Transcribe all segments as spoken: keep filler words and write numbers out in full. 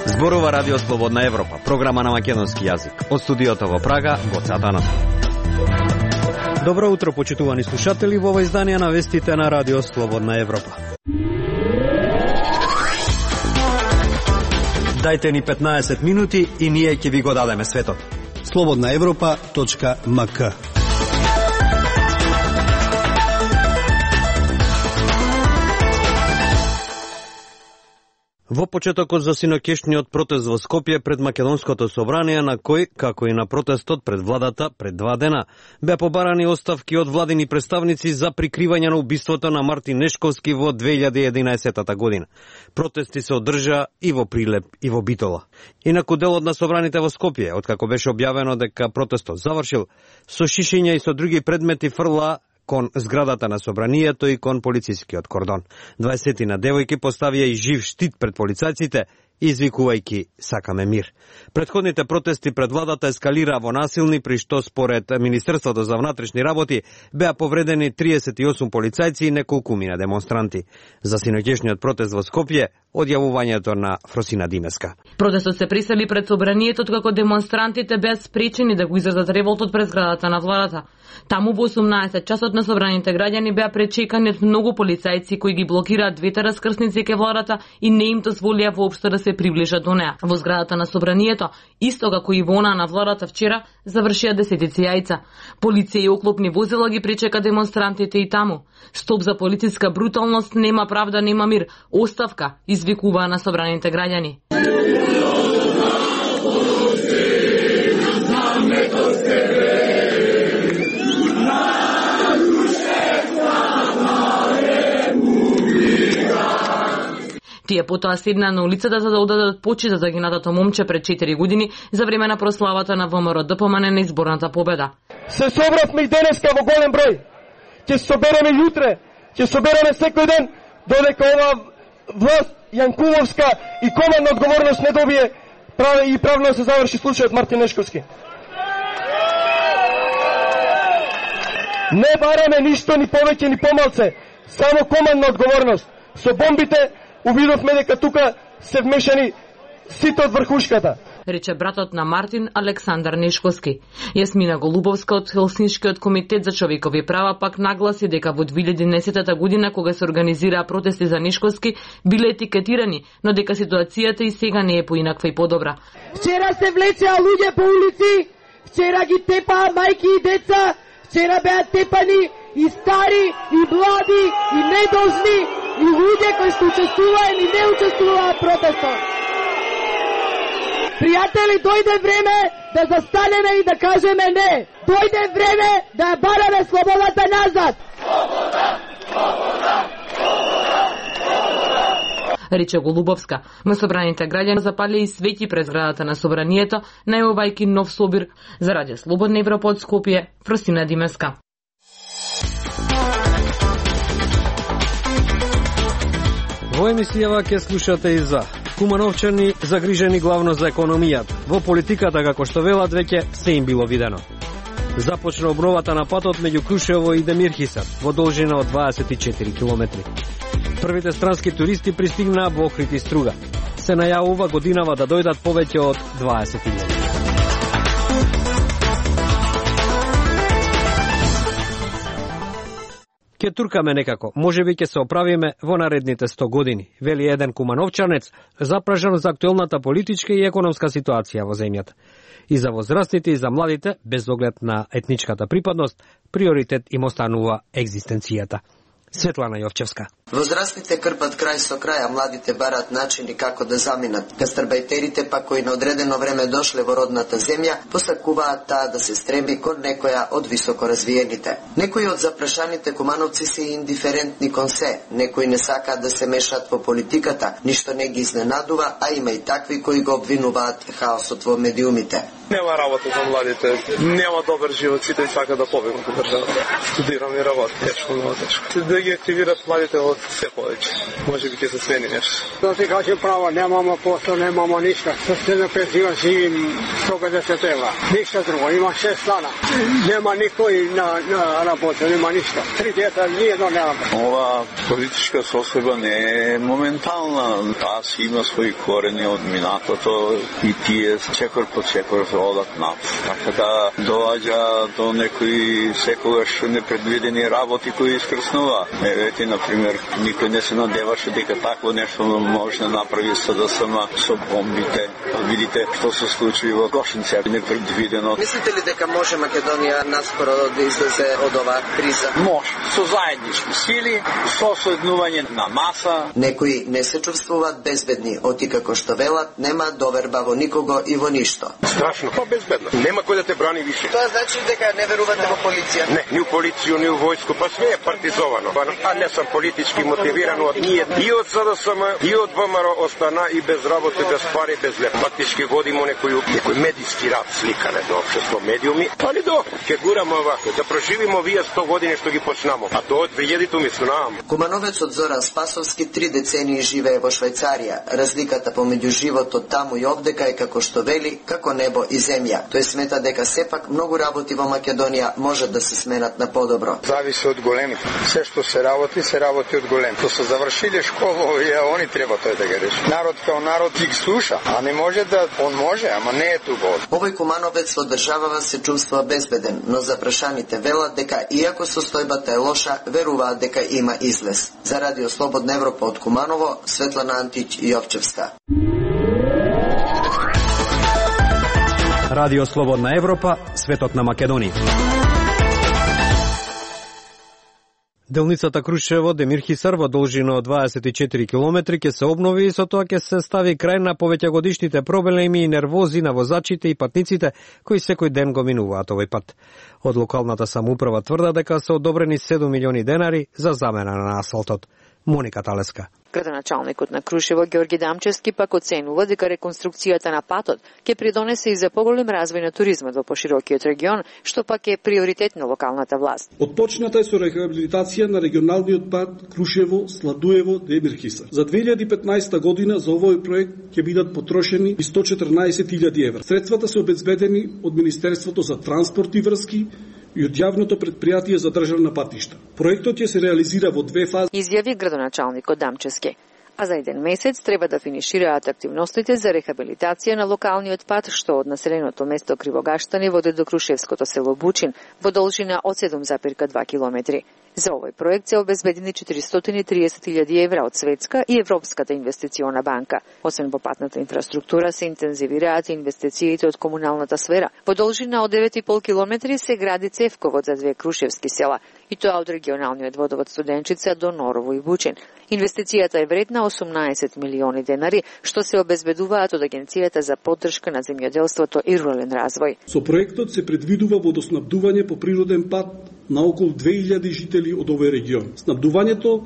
Зборува Радио Слободна Европа, програма на македонски јазик. Од студиото во Прага, Гоце Атанов. Добро утро, почитувани слушатели, во ова издание на вестите на Радио Слободна Европа. Дајте ни петнаесет минути и ние ќе ви го дадеме светот. слободна европа точка ем ка. Во почетокот за синоќешниот протест во Скопје пред Македонското собрание, на кој, како и на протестот пред владата пред два дена, беа побарани оставки од владини представници за прикривање на убиството на Мартин Нешковски во две илјади и единаесетта година. Протести се одржаа и во Прилеп и во Битола. Инаку делот на собраните во Скопје, откако беше објавено дека протестот завршил, со шишиња и со други предмети фрла кон зградата на собранието и кон полицискиот кордон. дваесетина девојки поставија и жив штит пред полицајците, извикувајќи "Сакаме мир". Претходните протести пред владата ескалираа во насилни, при што според Министерството за внатрешни работи беа повредени триесет и осум полицајци и неколкумина демонстранти. За синоќешниот протест во Скопје, одјавувањето на Фросина Димеска. Протестот се присели пред собранието како демонстрантите беа спречени да го изразат револтот пред зградата на владата. Таму во осумнаесет часот на собраните граѓани беа пречекани од многу полицајци кои ги блокираат двете раскрсници ке владата и не им дозволија воопшто да се приближат до неа. Во зградата на собранието, исто како и во она на владата вчера, завршија десетици јајца. Полиција и оклопни возила ги пречека демонстрантите и таму. Стоп за политичка бруталност, нема правда, нема мир. Оставка, извикуваа на собраните граѓани. Тие потоа седнаа на улицата за да одадат почит за загинатото момче пред четири години за време на прославата на ВМРО-ДПМН на изборната победа. Се собравме и денеска во голем број. Ќе се собереме јутре, ќе се собереме секој ден, додека ова власт Јанкуловска и командна одговорност не добие и правно се заврши случајот Мартин Нешковски. Не бараме ништо ни повеќе ни помалце, само командна одговорност. Со бомбите увидовме дека тука се вмешани сите од врхушката, рече братот на Мартин, Александар Нешковски. Јасмина Голубовска од Хелсиншкиот комитет за човекови права пак нагласи дека во две илјади и еднаесетта година, кога се организираа протести за Нешковски, биле етикетирани, но дека ситуацијата и сега не е поинаква и подобра. Вчера се влечеа луѓе по улици, вчера ги тепаа мајки и деца, вчера беа тепани и стари, и млади, и недолжни, и луѓе кои што учествуваа или не учествуваа в протестот. Пријатели, дојде време да застанеме и да кажеме не. Дојде време да ја бараме слободата назад. Слобода, слобода, слобода, слобода. Рече Голубовска. На собраните граѓани запалија и свети пред зградата на собранието, најавувајќи нов собир. За Радио Слободна Европа од Скопје, Фросина Димеска. Во емисијава ќе слушате и за кумановчани загрижени главно за економијата. Во политиката, како што велат, веќе се им било видено. Започна обновата на патот меѓу Крушево и Демирхисар во должина од дваесет и четири километри. Првите странски туристи пристигнаа во Охрид и Струга. Се најавува годинава да дојдат повеќе од дваесет илјади. Ке туркаме некако, можеби ќе се оправиме во наредните сто години, вели еден кумановчанец, запражан за актуелната политичка и економска ситуација во земјата. И за возрастните и за младите, без оглед на етничката припадност, приоритет им останува екзистенцијата. Светлана Јовчевска. Возрастните крпат крај со крај, а младите барат начини како да заминат. Гастарбајтерите па кои на одредено време дошле во родната земја, посакуваат таа да се стремби кон некоја од високо развиените. Некои од запрашаните кумановци се индиферентни кон се, некои не сакаат да се мешаат во политиката, ништо не ги изненадува, а има и такви кои го обвинуваат хаосот во медиумите. Нема работа за младите, нема добар живот, сите сакаат да побегнат од државата. Студирам и работам, тешко, много тешко. Да да ги активират младите од се повеќе. Може би ќе се смени нешто. Да ти кажем право, немамо посла, немамо ништо. Со стена пензија живим сто педесет евра. Ништо друго, има шест стана. Нема никој на, на работа, нема ништо. Три дета, ниедно немаме. Ова политичка состојба не е моментална. Таа си има своји корени од минатото и тие чекор по чекор одат над. Така да доаѓа до некои секогаш непредвидени работи кои искрснува. Евети, например, никој не се надеваше дека такво нешто може да направи СДСМ со бомбите. Видите што се случи во Гошинци, непредвидено. Мислите ли дека може Македонија наскоро да излезе од оваа криза? Може, со заеднички сили, со соеднување на маса. Некои не се чувствуваат безбедни, оти како што велат, нема доверба во никого и во ништо. Страшно, па безбедно. Нема кој да те брани више. Тоа значи дека не верувате во полиција? Не, ни во полиција, ни во војско, па све е партизовано. А не сам политички мотивиран од ние. И од СДСМ, и од ВМРО остана и без работа, без пари, без леп. Фактички водимо некој некој медиски рад, сликане до општество, медиуми. Али до, ќе гураме овако, да проживимо вие сто години што ги почнамо. А тоа од две илјади ми снам. Кумановецот Зоран Спасовски три децении живее во Швајцарија. Разликата помеѓу животот таму и овдека е како што вели, како небо и земја. Тој смета дека сепак многу работи во Македонија може да се сменат на подобро. Зависи од големите. Се што се работи, се работи од голем. Тоа се завршиле школа, овие, они треба тој да ги реши. Народ као народ ги слуша, а не може да, он може, ама не е тука. Овој кумановец во државава се чувствува безбеден, но запрашаните велат дека иако состојбата е лоша, веруваат дека има излез. За Радио Слободна Европа од Куманово, Светлана Антич Јовчевска. Радио Слободна Европа, светот на Македонија. Делницата Крушево Демир Хисар во должина од дваесет и четири километри ќе се обнови и со тоа ќе се стави крај на повеќегодишните проблеми и нервози на возачите и патниците кои секој ден го минуваат овој пат. Од локалната самоуправа тврда дека се одобрени седум милиони денари за замена на асфалтот. Моника Талеска. Градоначалникот на Крушево Ѓорги Дамчевски пак оценува дека реконструкцијата на патот ќе придонесе и за поголем развој на туризмот во поширокиот регион, што пак е приоритет на локалната власт. Отпочната е со рехабилитација на регионалниот пат Крушево Сладуево Демир Хисар. За две илјади и петнаесета година за овој проект ќе бидат потрошени и сто четрнаесет илјади евра. Средствата се обезбедени од Министерството за транспорт и врски и од јавното претпријатие за државна патишта. Проектот ќе се реализира во две фази. Изјави градоначалникот Дамчевски. А за еден месец треба да финишираат активностите за рехабилитација на локалниот пат што од населеното место Кривогаштани води до крушевското село Бучин во должина од седум зарез два километри. За овој проект се обезбедени четиристотини и триесет илјади евра од Светска и Европската инвестициона банка. Освен во патната инфраструктура се интензивираат инвестициите од комуналната сфера. Во должина од девет и пол километри се гради цевковод за две крушевски села, и тоа од регионалниот водовод Студенчица до Норово и Бучин. Инвестицијата е вредна осумнаесет милиони денари, што се обезбедуваат од Агенцијата за поддршка на земјоделството и рурален развој. Со проектот се предвидува водоснабдување по природен пат на околу две илјади жители од овој регион. Снабдувањето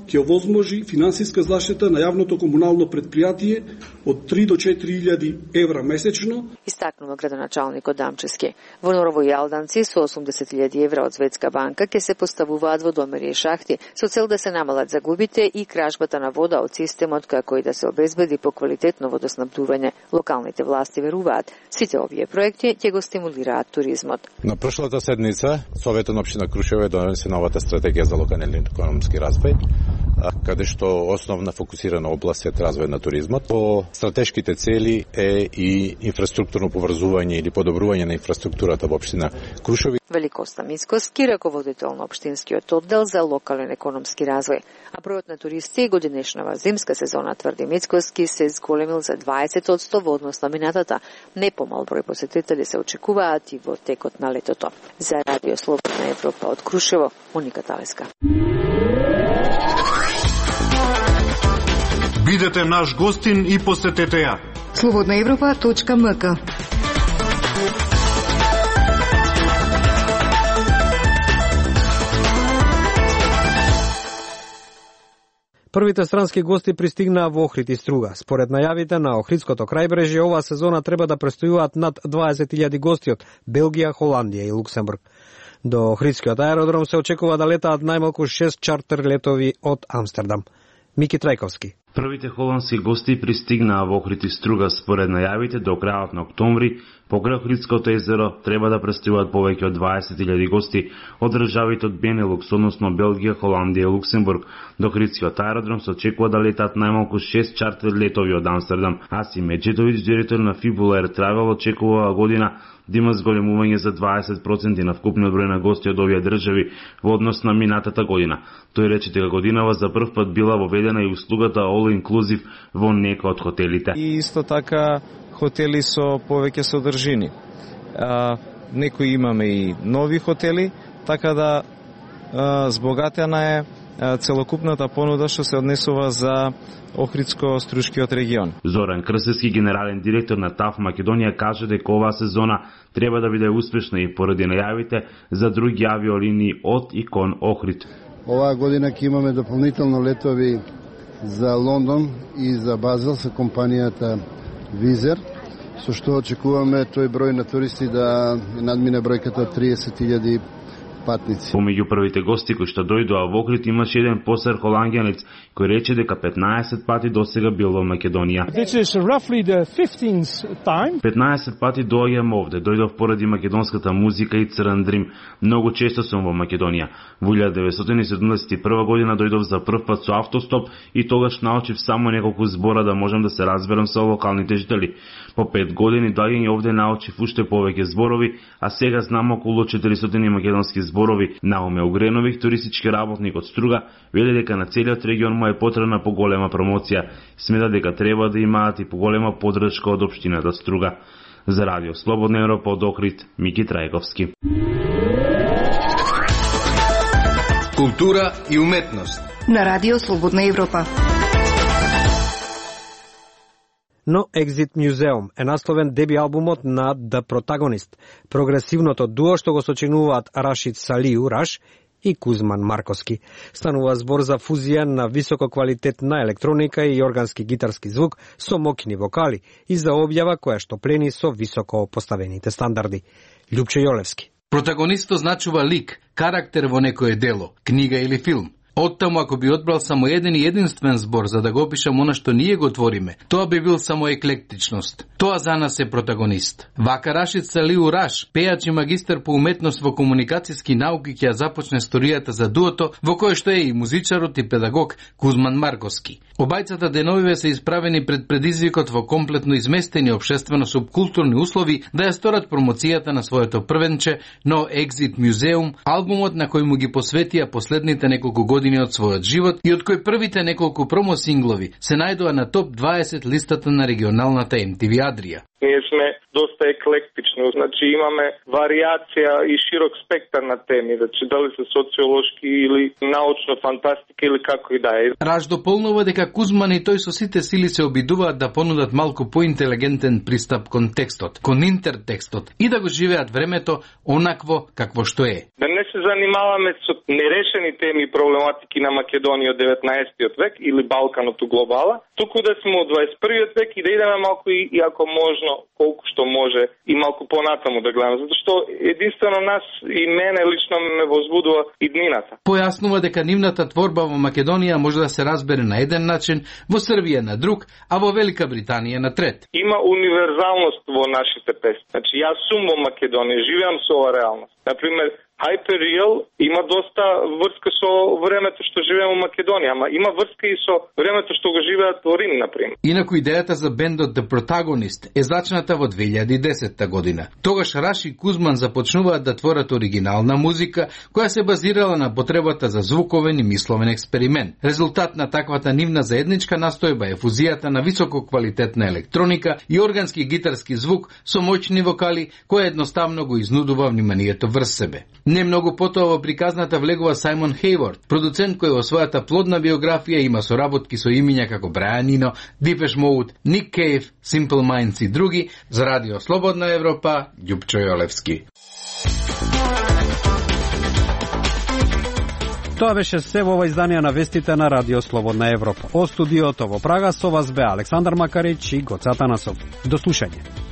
ќе овозможи финансиска заштита на јавното комунално претпријатие од три до четири илјади евра месечно. Истакнува градоначалникот Дамчевски. Во Норово и Алданци со осумдесет илјади евра од Светска банка ќе се поставуваат водомери и шахти со цел да се намалат загубите и кражбата на вода од системот, како и да се обезбеди поквалитетно водоснабдување. Локалните власти веруваат, сите овие проекти ќе го стимулираат туризмот. На прошлата седница Советот на општина Крушево е донесе новата стратегија за локален економски развој, каде што основна фокусирана област е развој на туризмот. По стратешките цели е и инфраструктурно поврзување или подобрување на инфраструктурата во општина Крушево. Великоста Мицкоски, раководител на општинскиот оддел за локален економски развој. А бројот на туристи годинешнава зимска сезона, тврди Мицкоски, се зголемил за дваесет одсто во однос на минатата. Не помал број посетители се очекуваат и во текот на летото. За Радио Слободна Европа од Крушево, Моника Талеска. Бидете наш гостин и посетете ја. слободна европа точка ем ка. Првите странски гости пристигнаа во Охрид и Струга. Според најавите на Охридското крајбрежје, оваа сезона треба да престојуваат над дваесет илјади гости од Белгија, Холандија и Луксембург. До Охридскиот аеродром се очекува да летаат најмалку шест чартер летови од Амстердам. Мики Трајковски. Првите холандски гости пристигнаа во Охрид и Струга според најавите до крајот на октомври. Покрај Охридското езеро треба да пристигнуваат повеќе од дваесет илјади гости од државите од Бенелукс, односно Белгија, Холандија и Луксембург. До Охридскиот аеродром се очекува да летаат најмалку шест чартер летови од Амстердам. Асим Меджидовиќ, директор на Fibula Air Travel, очекува година да има зголемување за дваесет проценти на вкупниот број на гости од овие држави во однос на минатата година. Тој рече дека годинава за прв пат била воведена и услугата All Inclusive во некои од хотелите. И исто така хотели со повеќе содржини. А, некои имаме и нови хотели, така да а, збогатена е а, целокупната понуда што се однесува за Охридско-Струшкиот регион. Зоран Крсевски, генерален директор на ТАФ Македонија, каже дека оваа сезона треба да биде успешна и поради најавите за други авиолинии од и кон Охрид. Оваа година ќе имаме дополнително летови за Лондон и за Базел со компанијата Визер, со што очекуваме тој број на туристи да надмине бројката триесет илјади патници. Помеѓу првите гости кои што дојдоа во Охрид имаше еден постар холанѓанец кој рече дека петнаесет пати досега бил во Македонија. петнаесет пати доаѓам овде, дојдов поради македонската музика и Црн Дрим. Многу често сум во Македонија. Во илјада деветстотини седумдесет и прва година дојдов за прв пат со автостоп и тогаш научив само неколку збора да можам да се разберам со локалните жители. По пет години доаѓање овде научив уште повеќе зборови, а сега знам околу четиристотини македонски зборови. Науме Огренових, туристички работник од Струга, вели дека на целиот регион му е потребна поголема промоција. Смета дека треба да имаат и поголема поддршка од општината Струга. За Радио Слободна Европа од Охрид, Мики Трајковски. Култура и уметност на Радио Слободна Европа. No Exit Museum е насловен деби албумот на The Protagonist, прогресивното дуо што го сочинуваат Рашид Салиу Раш и Кузман Марковски. Станува збор за фузија на високо квалитетна електроника и органски гитарски звук со мокни вокали и за објава која што плени со високо поставените стандарди. Љупче Јолевски. Протагонистот значува лик, карактер во некое дело, книга или филм. Оттаму, ако би одбрал само еден и единствен збор за да го опишам она што ние го твориме, тоа би бил само еклектичност. Тоа за нас е протагонист. Вака Рашид Салиу Раш, пејач и магистар по уметност во комуникацијски науки, ќе започне историјата за дуото, во кое што е и музичарот и педагог Кузман Марковски. Обајцата деновиве се исправени пред предизвикот во комплетно изместени општествено-субкултурни услови да ја сторат промоцијата на своето првенче No Exit Museum, албумот на кој му ги посветија последните неколку години од својот живот и од кој првите неколку промо-синглови се најдоа на топ дваесет листата на регионалната Ем Ти Ви Адрија. Ние сме доста еклектични, значи имаме варијација и широк спектар на теми, значи дали се социолошки или научна фантастика или како и да е. Раш дополнува дека Кузман и тој со сите сили се обидуваат да понудат малку поинтелигентен пристап кон текстот, кон интертекстот и да го живеат времето онакво какво што е. Да не се занимаваме со нерешени теми и проблематики на Македонија од деветнаесеттиот век или Балканот у глобала, туку да сме од дваесет и првиот век и да идеме малку и, и ако можно колку што може и малку понатаму да гледаме, затоа што единствено нас и мене лично ме возбудува иднината. Појаснува дека нивната творба во Македонија може да се разбере на еден начин, во Србија на друг, а во Велика Британија на трет. Има универзалност во нашите песни. Значи јас сум во Македонија, живеам со оваа реалност. Например, Hyperreal има доста врска со времето што живееме во Македонија, ама има врска и со времето што го живеат во Рим, например. Инаку идејата за бендот The Protagonist е зачната во две илјади и десета година. Тогаш Раш и Кузман започнуваат да творат оригинална музика, која се базирала на потребата за звуковен и мисловен експеримент. Резултат на таквата нивна заедничка настојба е фузијата на високо квалитетна електроника и органски гитарски звук со моćни вокали, која едноставно го изнудува вниманието врз себе. Не многу потоа во приказната влегува Сајмон Хейворд, продуцент кој во својата плодна биографија има соработки со имиња како Брайан Ино, Depeche Mode, Ник Кейв, Simple Minds и други. За Радио Слободна Европа, Љупчо Јолевски. Тоа беше се во ова издание на вестите на Радио Слободна Европа. О студиото во Прага со вас бе Александар Макарич и Гоца Танасов. До слушање.